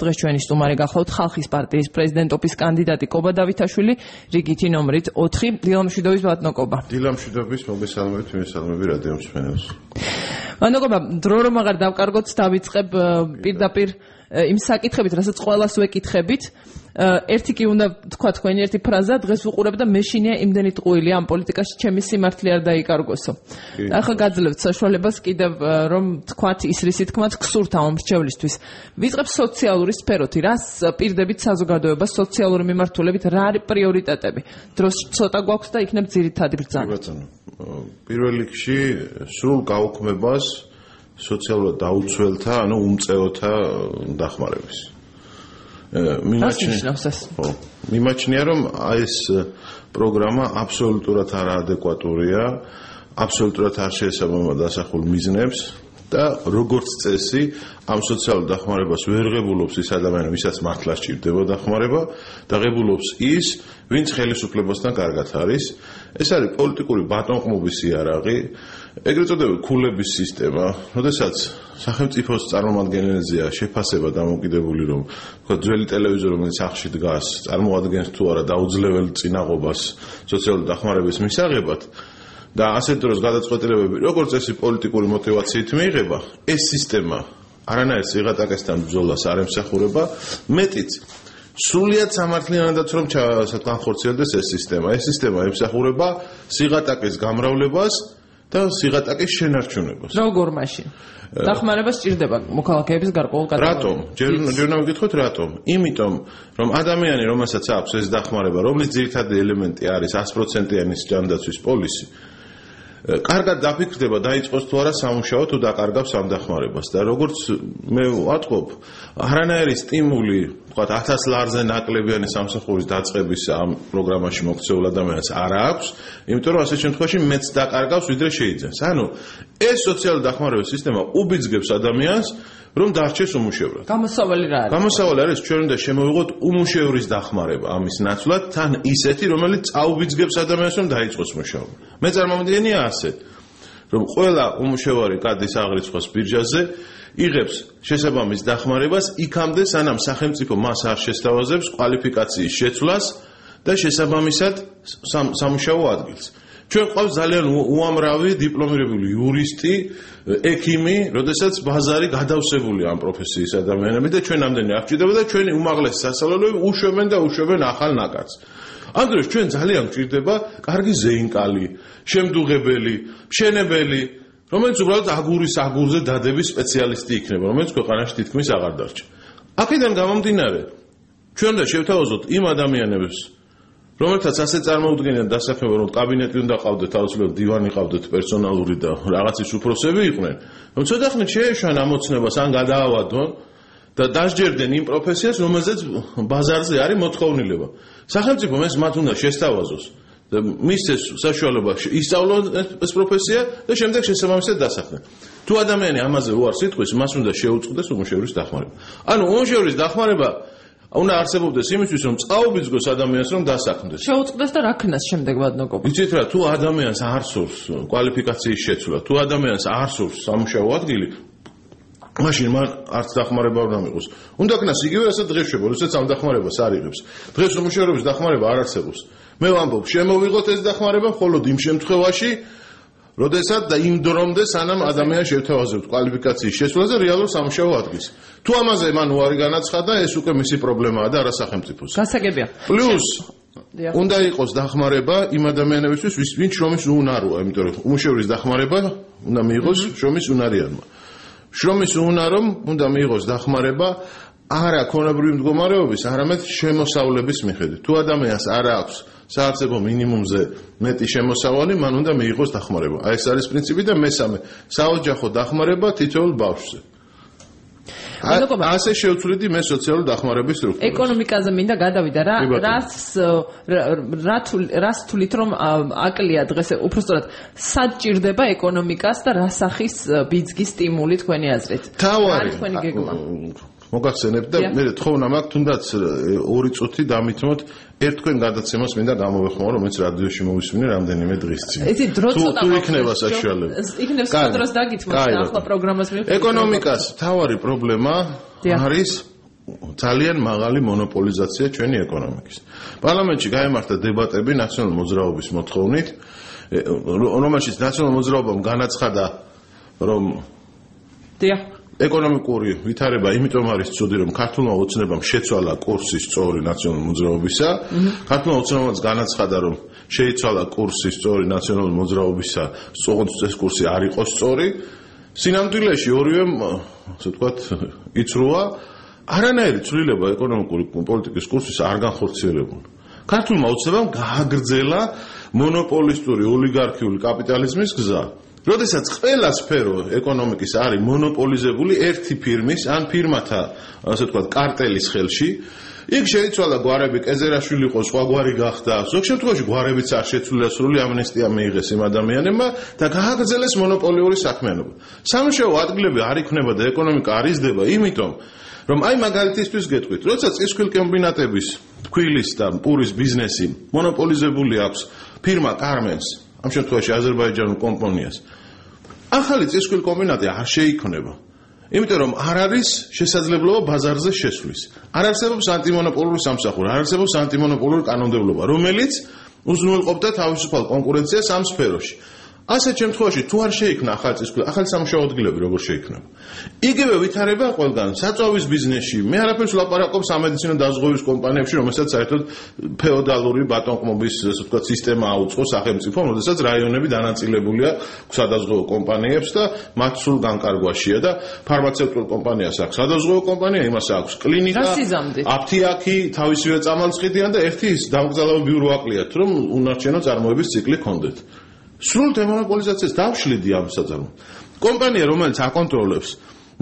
დღეს ჩვენი სტუმარი გახლავთ ხალხის პარტიის პრეზიდენტობის კანდიდატი კობა დავითაშვილი, რიგითი ნომრით 4. დილამშვიდობის ბატონო კობა. დილამშვიდობის, მოგესალმებით რადიო მსმენელს. ბატონო კობა, დრო რომ აღარ დავკარგოთ, დავიწყებ პირდაპირ იმ საკითხებით, რასაც ყველას ვეკითხებით. ერთი კი უნდა თქვა თქვენი ერთი ფრაზა, დღეს ვუყურებ და მეშინია იმდენი ტყუილია ამ პოლიტიკაში, ჩემი სიმართლე არ დაიკარგოსო. ახლა გაძლევთ საშუალებას კიდევ რომ თქვათ ის რისი თქმაც გსურთ ამ მრჩევლისთვის. ვიწყებ სოციალური სფეროთი, რას პირდებით საზოგადოებას სოციალური მიმართულებით, რა არის პრიორიტეტები? დროს ცოტა გვაქვს და იქნებ ძირითადი ბრძანა. პირველ რიგში სრულ გაუქმებას სოციალურად დაუცველთა, ანუ უმწეოთა დახმარების. მიმაჩნია, რომ ეს პროგრამა აბსოლუტურად არაადეკვატურია, აბსოლუტურად არ შეესაბამება დასახულ მიზნებს და როგორც წესი ამ სოციალურ დახმარებას ვერ ღებულობს ის ადამიანი, ვისაც მართლა სჭირდება დახმარება და ღებულობს ის, ვინც ხელისუფლებასთან კარგად არის. ეს არის პოლიტიკური ბატონყმობის იარაღი, ეგრეთ წოდებული ქულების სისტემა, როდესაც სახელმწიფოს წარმომადგენელზეა შეფასება დამოკიდებული, რომ თქვა ძველი ტელევიზორი, რომელიც სახლში დგას, წარმოადგენს თუ არა დაუძლებელ წინაღობას სოციალური დახმარების მისაღებად და ასეთ დროს გადაწყვეტილებები, როგორც წესი პოლიტიკური мотивაციით მიიღება, ეს სისტემა არანაირ სიღატაკესთან ბრძოლას არ ემსახურება, მეტიც სრულიად სამართლიანადაც რომ განხორციელდეს ეს სისტემა. ეს სისტემა ემსახურება სიღატაკის გამრავლებას და სიღატაკის შენარჩუნებას. როგორ მაშინ? დახმარება სჭირდება მოქალაქეების გარკვეულ კატეგორიას. რატომ? ჯერ უნდა ვიკითხოთ რატომ? იმიტომ, რომ ადამიანი, რომელსაც აქვს ეს დახმარება, რომლის ძირითადი ელემენტი არის 100%-იანი ჯანდაცვის პოლისი, კარგად დაფიქრდება დაიწყოს თუ არა სამუშაო თუ დაკარგავს ამ დახმარებას და როგორც მე ვატყობ, არანაირი სტიმული, თქვათ 1000 ლარზე ნაკლებიანი სამსახურის დაწყების ამ პროგრამაში მოქცეულ ადამიანს არ აქვს, იმიტომ რომ ასეთ შემთხვევაში მეც დაკარგავს ვიდრე შეიძენს. ანუ ეს სოციალური დახმარების სისტემა უბიძგებს ადამიანს რომ დარჩეს უმუშევრად. გამოსავალი რა არის? გამოსავალი არის ჩვენ უნდა შემოვიღოთ უმუშევრის დახმარება ამის ნაცვლად, თან ისეთი, რომელიც წაუბიძგებს ადამიანს რომ დაიწყოს მუშაობა. მე წარმომიდგენია ასე, რომ ყველა უმუშევარი კადის აღრიცხვას ბირჟაზე იღებს შესაბამის დახმარებას იქამდე, სანამ სახელმწიფო მას არ შესთავაზებს კვალიფიკაციის შეცვლას და შესაბამისად სამუშაო ადგილს. ჩვენ ყავს ძალიან უამრავი დიპლომირებული იურისტი, ექიმი, როდესაც ბაზარი გადავსებულია ამ პროფესიის ადამიანები და ჩვენ ამდენი არ გვჭირდება და ჩვენი უმაღლესი სასწავლებლები უშვებენ და უშვებენ ახალ ნაკადს. ამ დროს ჩვენ ძალიან გვჭირდება კარგი ზეინკალი, შემდუღებელი, მშენებელი, რომელიც უბრალოდ აგურის აგურზე დადების სპეციალისტი იქნება, რომელიც ქვეყანაში თითქმის აღარ დარჩა. აქედან გამომდინარე, ჩვენ უნდა შევთავაზოთ იმ ადამიანებს, რომელთაც ასე წარმოუდგენიათ დასაქმება, რომ კაბინეტი უნდა ყავდეთ, თავისუფლად დივანი ყავდეთ პერსონალური და რაღაცის უფროსები იყვნენ, რომ ცოტა ხნით შეეშვან ამოცნებას ან გადაავადონ და დასჯერდნენ იმ პროფესიას, რომელზეც ბაზარზე არის მოთხოვნილება. სახელმწიფო მას უნდა შესთავაზოს და მისცეს საშუალება ისწავლონ ეს პროფესია და შემდეგ შესაბამისად დასახდნენ. თუ ადამიანი ამაზე უარს იტყვის, მას უნდა შეუწყდეს უმუშევრის დახმარება. ანუ უმუშევრის დახმარება უნდა არსებობდეს იმისთვის, რომ წაუბიძგოს ადამიანს, რომ დასაქმდეს. შეუწყდეს და რა ქნას შემდეგ ვადნოკობა. იცით რა, თუ ადამიანს არ სურს კვალიფიკაციის შეცვლა, თუ ადამიანს არ სურს სამუშაო ადგილი, მაშინ მან არც დახმარება არ მიიღოს. უნდა ქნას იგივე ასე დღეს შეგვიძლია, როდესაც ამ დახმარებას არ იღებს. დღეს უმუშევრობის დახმარება არ არსებობს. მე ვამბობ, შემოვიღოთ ეს დახმარება მხოლოდ იმ შემთხვევაში, როდესაც და იმ დრომდე, სანამ ადამიანს შევთავაზებთ კვალიფიკაციის შეცვლაზე რეალურ სამუშაო ადგილს. თუ ამაზე მან უარი განაცხადა, ეს უკვე მისი პრობლემაა და არა სახელმწიფოს. გასაგებია. პლუს უნდა იყოს დახმარება იმ ადამიანებისთვის, ვინც შრომის უუნაროა, იმიტომ რომ უმუშევრის დახმარება უნდა მიიღოს შრომის უნარიანმა. შრომის უუნარომ უნდა მიიღოს დახმარება არა ქონებრივი მდგომარეობის, არამედ შემოსავლების მიხედვით. თუ ადამიანს არ აქვს საარსებო მინიმუმზე მეტი შემოსავალი, მან უნდა მიიღოს დახმარება. აი ეს არის პრინციპი და მესამე, საოჯახო დახმარება თითოეულ ბავშვზე. ასე შევცვლიდი მე სოციალური დახმარების სტრუქტურას. ეკონომიკაზე მინდა გადავიდა რა, რას თulit რომ აკლია დღეს უბრალოდ სად ჭირდება ეკონომიკას და რა სახის ბიძგის სტიმული თქვენი აზრით? თავარი თქვენი გეგმა. მოგახსენებთ და მე თხოვნა მაქვს თუნდაც 2 წუთი დამითმოთ ერთ თქვენ გადაცემას მინდა გამოვეხმარო, რომელიც რადიოში მოვისმინე რამდენიმე დღის წინ. იცი დრო ცოტა თუ იქნება საშუალება. იქნებს დროს დაგითმოთ ახლა პროგრამას მიუხედავად. ეკონომიკას თავარი პრობლემა არის ძალიან მაღალი მონოპოლიზაცია ჩვენი ეკონომიკის. პარლამენტში გაიმართა დებატები ნაციონალური მოძრაობის მოთხოვნით, რომელშიც ნაციონალური მოძრაობამ განაცხადა, რომ ეკონომიკური ვითარება იმიტომ არის ცუდი, რომ ქართულმა ოცნებამ შეცვალა კურსი სწორი ნაციონალური მოძრაობისა, ქართულმა ოცნებამაც განაცხადა, რომ შეიცვალა კურსი სწორი ნაციონალური მოძრაობისა, სწორედ ეს კურსი არ იყო სწორი. სინამდვილეში ორივემ, ასე ვთქვათ, იცრუა, არანაირი ცვლილება ეკონომიკური პოლიტიკის კურსის არ განხორციელებულა. ქართულმა ოცნებამ გააგრძელა მონოპოლისტური ოლიგარქიული კაპიტალიზმის გზა. როდესაც ყველა სფერო ეკონომიკის არის მონოპოლიზებული ერთი ფირმის ან ფირმათა, ასე ვთქვათ, კარტელის ხელში, იქ შეიცვალა გვარები, კეზერაშვილი იყო, სხვა გვარი გახდა, ზოგ შემთხვევაში გვარებიც არ შეცვლილა, სრული ამნესტია მიიღეს იმ ადამიანებმა და გააგრძელეს მონოპოლიური საქმიანობა. სამუშაო ადგილები არ იქნება და ეკონომიკა არ იზრდება, იმიტომ რომ აი მაგალითისთვის გეტყვით, როდესაც წისქვილ კომბინატების თქვილის და პურის ბიზნესი მონოპოლიზებული აქვს ფირმა კარმენს, ამ შემთხვევაში აზერბაიჯანულ კომპანიას, ახალი წისქვილ კომბინატი არ შეიქმნება. იმიტომ რომ არ არის შესაძლებლობა ბაზარზე შესვლის. არ არსებობს ანტიმონოპოლური სამსახური, არ არსებობს ანტიმონოპოლური კანონმდებლობა, რომელიც უზრუნველყოფდა თავისუფალ კონკურენციას ამ სფეროში. ასეთ შემთხვევაში თუ არ შეიქმნა ახალი წისქვილი, ახალი სამუშაო ადგილები როგორ შეიქმნება? იგივე ვითარება ყველგან, საწვავის ბიზნესში, მე არაფერს ვლაპარაკობ სამედიცინო დაზღვევის კომპანიებში, რომელსაც საერთოდ ფეოდალური ბატონყმობის, ასე ვთქვათ, სისტემა აუწყო სახელმწიფომ, როდესაც რაიონები დანაწილებულია სადაზღვევო კომპანიებს და მათ სულ განკარგვაშია და ფარმაცევტულ კომპანიას აქვს სადაზღვევო კომპანია, იმას აქვს კლინიკა, აფთიაქი, თავისივე წამალწყვეტიან და ერთი დამკრძალავები ურვაკლიათ, რომ უნარჩენო წარმოების ციკლი ჰქონდეთ. სრულ დემონოპოლიზაციას დავშლიდი ამ საწარმოებს. კომპანია, რომელიც აკონტროლებს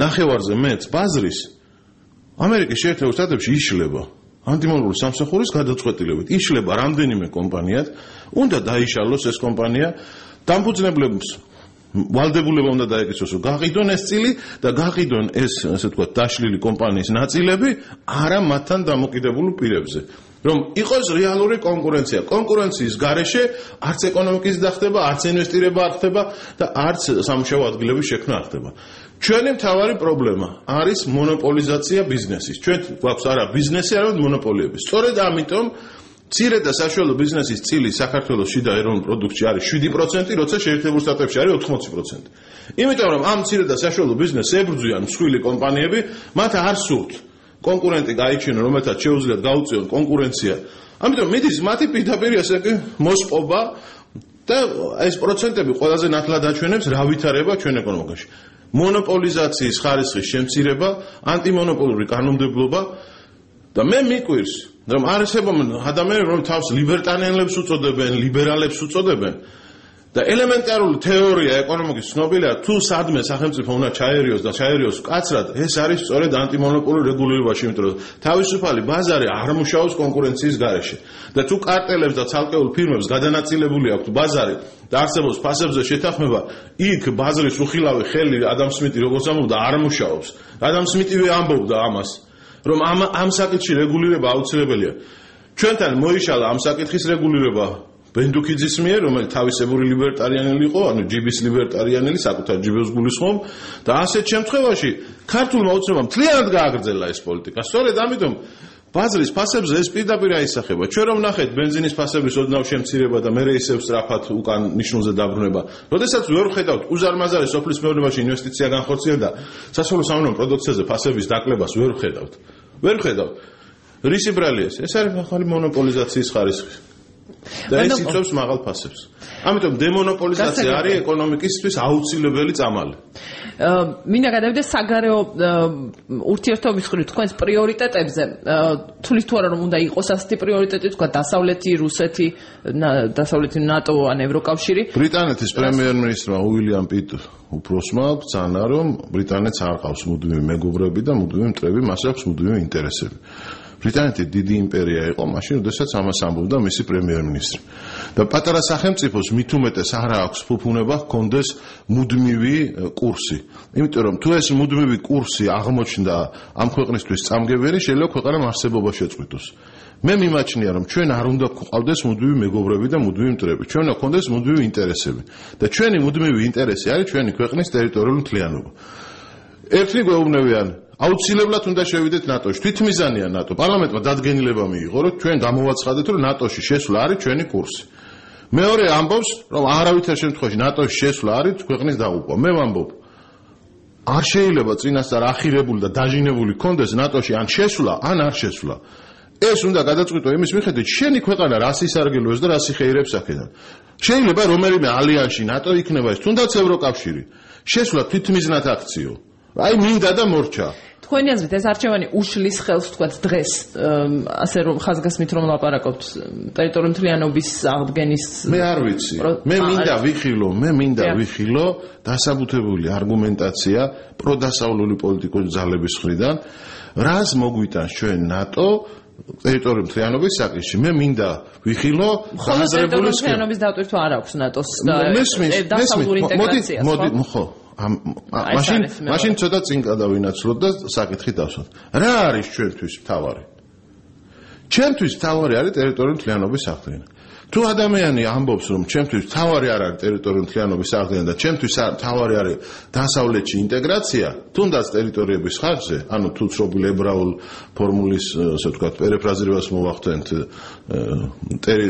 ნახევარზე მეტს ბაზრის, ამერიკის შეერთებულ შტატებში იშლება ანტიმონოპოლური სამსახურის გადაწყვეტილებით. იშლება რამდენიმე კომპანიად, უნდა დაიშალოს ეს კომპანია, დამფუძნებლებს ვალდებულება უნდა დაეკისროს, რომ გაყიდონ ეს წილი და გაყიდონ ეს, ასე ვთქვათ, დაშლილი კომპანიის ნაწილები არა მათთან დამოკიდებულ პირებზე. რომ იყოს რეალური კონკურენცია. კონკურენციის გარეშე არც ეკონომიკის დახდება, არც ინვესტირება არ ხდება და არც სამუშაო ადგილების შექმნა არ ხდება. ჩვენი მთავარი პრობლემა არის მონოპოლიზაცია ბიზნესის. ჩვენ გვაქვს არა ბიზნესი, არამედ მონოპოლიები. სწორედ ამიტომ მცირე და საშუალო ბიზნესის წილი საქართველოს შიდა ეროვნულ პროდუქტში არის 7%, როცა შეერთებულ შტატებში არის 80%. იმიტომ რომ ამ მცირე და საშუალო ბიზნესს ებრძვიან მსხვილი კომპანიები, მათ არ სურთ კონკურენტი გაიჩინონ, რომელთაც შეუძლიათ გაუწიონ კონკურენცია. ამიტომ მიდის მათი პირდაპირ ესე იგი მოსპობა და ეს პროცენტები ყველაზე ნათლად აჩვენებს რა ვითარება ჩვენ ეკონომიკაში. მონოპოლიზაციის ხარისხის შემცირება, ანტიმონოპოლური კანონმდებლობა და მე მიკვირს, რომ არსებობენ ადამიანები, რომ თავს ლიბერტარიანებს უწოდებენ, ლიბერალებს უწოდებენ. და ელემენტარული თეორია ეკონომიკის ცნობილია, თუ სადმე სახელმწიფო უნდა ჩაერიოს და ჩაერიოს მკაცრად, ეს არის სწორედ ანტიმონოპოლური რეგულირებაში, იმიტომ რომ თავისუფალი ბაზარი არ მუშაობს კონკურენციის გარეშე. და თუ კარტელებს და ცალკეულ ფირმებს გადანაწილებული აქვთ ბაზარი და არსებობს ფასებზე შეთანხმება, იქ ბაზრის უხილავი ხელი ადამ სმიტი როგორც ამბობდა, არ მუშაობს. ადამ სმიტივე ამბობდა ამას, რომ ამ საკითხში რეგულირება აუცილებელია. ჩვენთან მოიშალა ამ საკითხის რეგულირება ბენდუქიძის მიერ, რომელიც თავისებური ლიბერტარიანელი იყო, ანუ ჯიბის ლიბერტარიანელი, საკუთარ ჯიბებს გულისხმობ და ასეთ შემთხვევაში ქართულმა ოცნებამ მთლიანად გააგრძელა ეს პოლიტიკა. სწორედ ამიტომ ბაზრის ფასებზე ეს პირდაპირ აისახება. ჩვენ რომ ნახეთ ბენზინის ფასების ოდნავ შემცირება და მე ისევ სწრაფად უკან ნიშნულზე დაბრუნება. როდესაც ვერ ვხედავთ უზარმაზარი სოფლის მეურნეობაში ინვესტიცია განხორციელდა, სასოფლო სამეურნეო პროდუქციაზე ფასების დაკლებას ვერ ვხედავთ. ვერ ვხედავთ. რისი ბრალია ეს? ეს არის ახალი მონოპოლიზაციის ხარისხი. და ეს იწვევს მაღალ ფასებს. ამიტომ დემონოპოლიზაცია არის ეკონომიკისთვის აუცილებელი წამალი. მინდა გადავიდე საგარეო ურთიერთობის მხრივ თქვენს პრიორიტეტებზე. თulis თუ არა რომ უნდა იყოს ასეთი პრიორიტეტი, თქვა დასავლეთი, რუსეთი, დასავლეთი ნატო ან ევროკავშირი. ბრიტანეთის პრემიერ-მინისტრმა უილიამ პიტ უფროსმა ბრძანა, რომ ბრიტანეთს არ ყავს მუდმივი მეგობრები და მუდმივი მტრები, მას აქვს მუდმივი ინტერესები. ბრიტანეთი დიდი იმპერია იყო მაშინ, როდესაც ამას ამბობდა მისი პრემიერ-მინისტრი. და პატარა სახელმწიფოს მით უმეტეს არ აქვს ფუფუნება ჰქონდეს მუდმივი კურსი. იმიტომ რომ თუ ეს მუდმივი კურსი აღმოჩნდა ამ ქვეყნისთვის წამგებელი, შეიძლება ქვეყანამ არსებობა შეწყვიტოს. მე მიმაჩნია რომ ჩვენ არ უნდა გვყავდეს მუდმივი მეგობრები და მუდმივი მტრები. ჩვენ უნდა გქონდეს მუდმივი ინტერესები. და ჩვენი მუდმივი ინტერესი არის ჩვენი ქვეყნის ტერიტორიული მთლიანობა. ერთი გვეუბნებიან აუცილებლად უნდა შევიდეთ ნატოში. თვითმიზანია ნატო. პარლამენტმა დადგენილება მიიღო, რომ ჩვენ გამოვაცხადეთ, რომ ნატოში შესვლა არის ჩვენი კურსი. მეორე ამბობს, რომ არავითარ შემთხვევაში ნატოში შესვლა არის ქვეყნის დაღუპვა. მე ვამბობ, არ შეიძლება წინასწარ ახირებული და დაჟინებული კონდეს ნატოში ან შესვლა, ან არ შესვლა. ეს უნდა გადაწყვიტო იმის მიხედვით, შენი ქვეყანა რას ისარგებლოს და რას იხეირებს აქედან. შეიძლება რომელიმე ალიანსში ნატო იქნება ეს, თუნდაც ევროკავშირი. შესვლა თვითმიზნად აქციო. აი მინდა და მორჩა. თქვენი აზრით ეს არჩევანი უშლის ხელს თქვათ დღეს ასე რომ ხაზგასმით რომ ლაპარაკობთ ტერიტორიული მთლიანობის აღდგენის მე არ ვიცი მე მინდა ვიხილო დასაბუთებული არგუმენტაცია პროდასავლური პოლიტიკური ძალების მხრიდან რას მოგვიტანს ჩვენ ნატო ტერიტორიული მთლიანობის საკითხში მე მინდა ვიხილო ტერიტორიული მთლიანობის დატვირთვა არ აქვს ნატოს დასავლური ინტეგრაციას ხო მაშინ ცოტა წინ გადავინაცვლოთ და საკითხი დავსვათ. რა არის ჩვენთვის მთავარი? ჩვენთვის მთავარი არის ტერიტორიული მთლიანობის აღდგენა. თუ ადამიანი ამბობს, რომ ჩვენთვის მთავარი არ არის ტერიტორიული მთლიანობის აღდგენა და ჩვენთვის მთავარი არის დასავლეთში ინტეგრაცია, თუნდაც ტერიტორიების ხარჯზე, ანუ თუ ცნობილ ებრაულ ფორმულის, ასე ვთქვათ, პერიფრაზირებას მოვახდენთ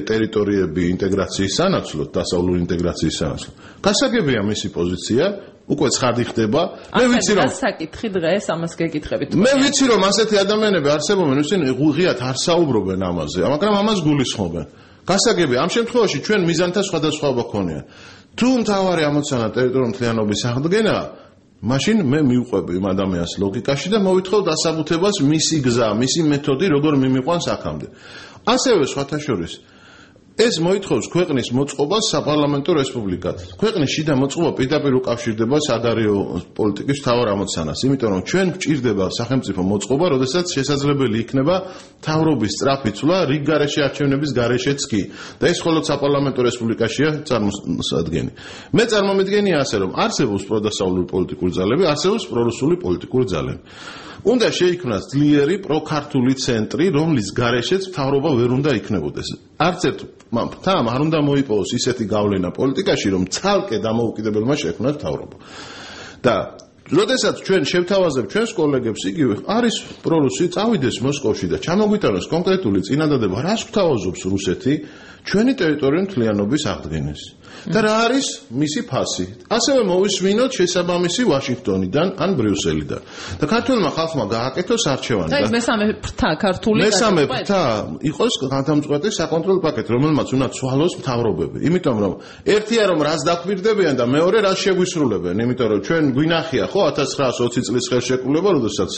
ტერიტორიები ინტეგრაციის სანაცვლოდ, დასავლური ინტეგრაციის სანაცვლოდ. გასაგებია მისი პოზიცია უკვე ცხადი ხდება. მე ვიცი რომ საკითხი დღეს ამას გეკითხებით. მე ვიცი რომ ასეთი ადამიანები არსებობენ, ვისინი ღიად არ საუბრობენ ამაზე, მაგრამ ამას გულისხმობენ. გასაგებია, ამ შემთხვევაში ჩვენ მიზანთა სხვადასხვაობა ქონია. თუ მთავარი ამოცანა ტერიტორიული მთლიანობის აღდგენა, მაშინ მე მივყვები იმ ადამიანის ლოგიკაში და მოვითხოვ დასაბუთებას მისი გზა, მისი მეთოდი, როგორ მიმიყვანს აქამდე. ასევე სხვათა შორის ეს მოითხოვს ქვეყნის მოწყობას საპარლამენტო რესპუბლიკად. ქვეყნის შიდა მოწყობა პირდაპირ უკავშირდება საგარეო პოლიტიკის მთავარ ამოცანას, იმიტომ რომ ჩვენ გვჭირდება სახელმწიფო მოწყობა, როდესაც შესაძლებელი იქნება მთავრობის სწრაფი ცვლა რიგ გარეშე არჩევნების გარეშეც კი. და ეს მხოლოდ საპარლამენტო რესპუბლიკაშია წარმოსადგენი. მე წარმომიდგენია ასე, რომ არსებობს პროდასავლური პოლიტიკური ძალები, არსებობს პრორუსული პოლიტიკური ძალები. უნდა შეიქმნას ძლიერი პროქართული ცენტრი, რომლის გარეშეც მთავრობა ვერ უნდა იქნებოდეს. არც ერთ მამფრთამ არ უნდა მოიპოვოს ისეთი გავლენა პოლიტიკაში, რომ ცალკე დამოუკიდებელმა შექმნას მთავრობა. და როდესაც ჩვენ შევთავაზებთ ჩვენს კოლეგებს, იგივე არის პრორუსი, წავიდეს მოსკოვში და ჩამოგვიტანოს კონკრეტული წინადადება, რას გვთავაზობს რუსეთი ჩვენი ტერიტორიული მთლიანობის აღდგენას. და რა არის მისი ფასი? ასევე მოვისმინოთ შესაბამისი ვაშინგტონიდან ან ბრიუსელიდან. და ქართულმა ხალხმა გააკეთოს არჩევანი. და ეს მესამე ფრთა ქართული მესამე ფრთა იყოს გადამწყვეტი საკონტროლო პაკეტი, რომელმაც უნდა ცვალოს მთავრობები. იმიტომ რომ ერთია რომ რას დაკვირდებიან და მეორე რას შეგვისრულებენ. იმიტომ რომ ჩვენ გვინახია ხო 1920 წლის ხელშეკრულება, როდესაც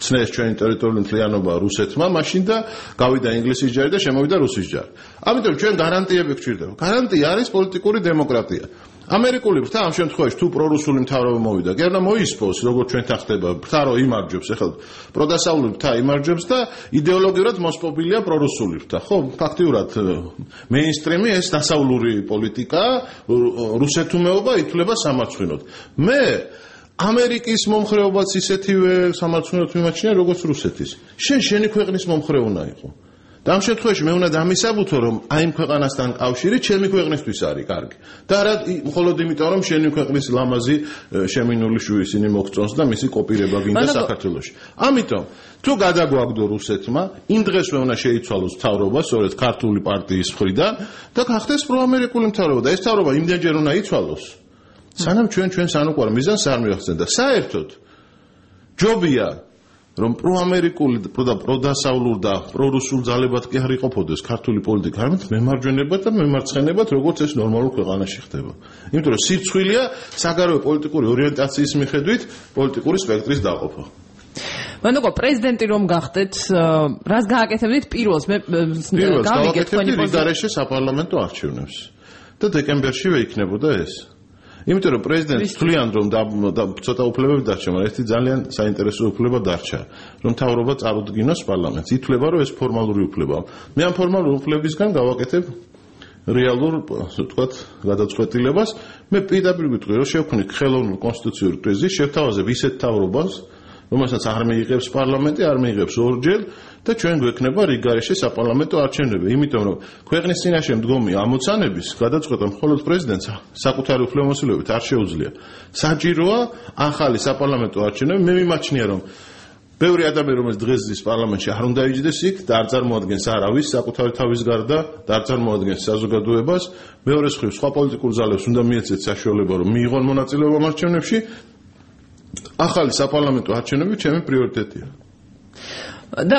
ცნეს ჩვენი ტერიტორიული მთლიანობა რუსეთმა, მაშინ და გავიდა ინგლისის ჯარი და შემოვიდა რუსის ჯარი. ამიტომ ჩვენ გარანტიები გვჭირდება. გარანტია არის პოლიტიკური დემოკრატია. ამერიკული ფრთა ამ შემთხვევაში თუ პრორუსული მთავრობა მოვიდა, კი არა მოისპოს, როგორც ჩვენთან ხდება, ფრთა რო იმარჯვებს, ეხლა პროდასავლური ფრთა იმარჯვებს და იდეოლოგიურად მოსპობილია პრორუსული ფრთა. ხო, ფაქტიურად მეინსტრიმი ეს დასავლური პოლიტიკა, რუსეთუმეობა ითვლება სამარცხვინოდ. მე ამერიკის მომხრეობაც ისეთივე სამარცხვინოდ მიმაჩნია, როგორც რუსეთის. შენი ქვეყნის მომხრე უნდა იყო. და ამ შემთხვევაში მე უნდა დამისაბუთო, რომ აი იმ ქვეყანასთან კავშირი ჩემი ქვეყნისთვის არის კარგი. და არა მხოლოდ იმიტომ, რომ შენი ქვეყნის ლამაზი შემინული შვილი ისინი მოგწონს და მისი კოპირება გინდა საქართველოში. ამიტომ თუ გადაგვაგდო რუსეთმა, იმ დღესვე უნდა შეიცვალოს მთავრობა, სწორედ ქართული პარტიის მხრიდან და გახდეს პროამერიკული მთავრობა და ეს მთავრობა იმდენჯერ უნდა იცვალოს, სანამ ჩვენ სანუკვარ მიზანს არ მივახცენ და საერთოდ ჯობია რომ პროამერიკული პროდასავლურ და პრორუსულ ძალებად კი არ იყოფოდეს ქართული პოლიტიკა, არამედ მემარჯვენებად და მემარცხენებად, როგორც ეს ნორმალურ ქვეყანაში ხდება. იმიტომ რომ სირცხვილია საგარეო პოლიტიკური ორიენტაციის მიხედვით პოლიტიკური სპექტრის დაყოფა. მანდ პრეზიდენტი რომ გახდეთ, რას გააკეთებდით პირველს? მე გავიგეთ თქვენი პოზიცია. გარეშე საპარლამენტო არჩევნებს და დეკემბერშივე იქნებოდა ეს. იმიტომ რომ პრეზიდენტს თვლიან რომ ცოტა უფლებები დარჩა, მაგრამ ერთი ძალიან საინტერესო უფლება დარჩა, რომ მთავრობა წარუდგინოს პარლამენტს. ითვლება რომ ეს ფორმალური უფლებაა. მე ამ ფორმალურ უფლებისგან გავაკეთებ რეალურ, ასე ვთქვათ, გადაწყვეტილებას. მე პირდაპირ ვიტყვი, რომ შევქმნით ხელოვნურ კონსტიტუციურ კრიზისს, შევთავაზებ ისეთ მთავრობას, რომელსაც არ მიიღებს პარლამენტი, არ მიიღებს ორჯერ და ჩვენ გვექნება რიგგარეშე საპარლამენტო არჩევნები. იმიტომ რომ ქვეყნის წინაშე მდგომი ამოცანების გადაწყვეტა მხოლოდ პრეზიდენტს საკუთარი უფლებამოსილებით არ შეუძლია. საჭიროა ახალი საპარლამენტო არჩევნები. მე მიმაჩნია რომ ბევრი ადამიანი რომელიც დღეს ზის პარლამენტში არ უნდა იჯდეს იქ და არ წარმოადგენს არავის საკუთარი თავის გარდა და არ წარმოადგენს საზოგადოებას. მეორე მხრივ სხვა პოლიტიკურ ძალებს უნდა მიეცეთ საშუალება რომ მიიღონ მონაწილეობა არჩევნებში. ახალი საპარლამენტო არჩევნები ჩემი პრიორიტეტია. და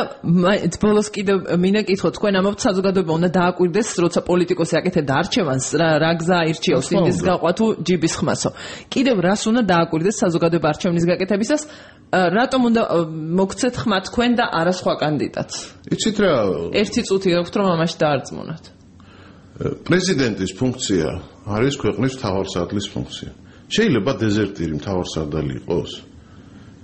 ბოლოს კიდევ მინდა კითხო, თქვენ ამბობთ საზოგადოება უნდა დააკვირდეს, როცა პოლიტიკოსი აკეთებდა არჩევანს, რა გზა ირჩიოს იმის გაყვა თუ ჯიბის ხმასო. კიდევ რას უნდა დააკვირდეს საზოგადოება არჩევნის გაკეთებისას? რატომ უნდა მოგცეთ ხმა თქვენ და არა სხვა კანდიდატს? იცით რა? ერთი წუთი გაქვთ რომ ამაში დაარწმუნოთ. პრეზიდენტის ფუნქცია არის ქვეყნის მთავარსარდლის ფუნქცია. შეიძლება დეზერტირი მთავარსარდალი იყოს.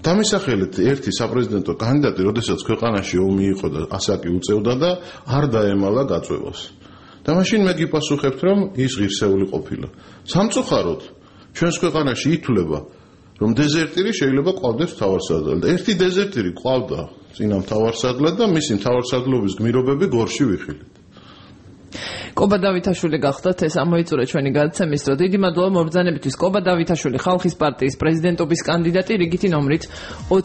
დამისახელეთ ერთი საპრეზიდენტო კანდიდატი, როდესაც ქვეყანაში ომი იყო და ასაკი უწევდა და არ დაემალა გაწევას. და მაშინ მე გიპასუხებთ, რომ ის ღირსეული ყოფილა. სამწუხაროდ, ჩვენს ქვეყანაში ითვლება, რომ დეზერტირი შეიძლება ყავდეს მთავარსარდალი და ერთი დეზერტირი ყავდა წინა მთავარსარდლად და მისი მთავარსარდლობის გმირობები გორში ვიხილეთ. კობა დავითაშვილი გახდათ, ეს ამოიწურა ჩვენი გადაცემის დრო. დიდი მადლობა მობრძანებისთვის. კობა დავითაშვილი, ხალხის პარტიის პრეზიდენტობის კანდიდატი, რიგითი ნომრით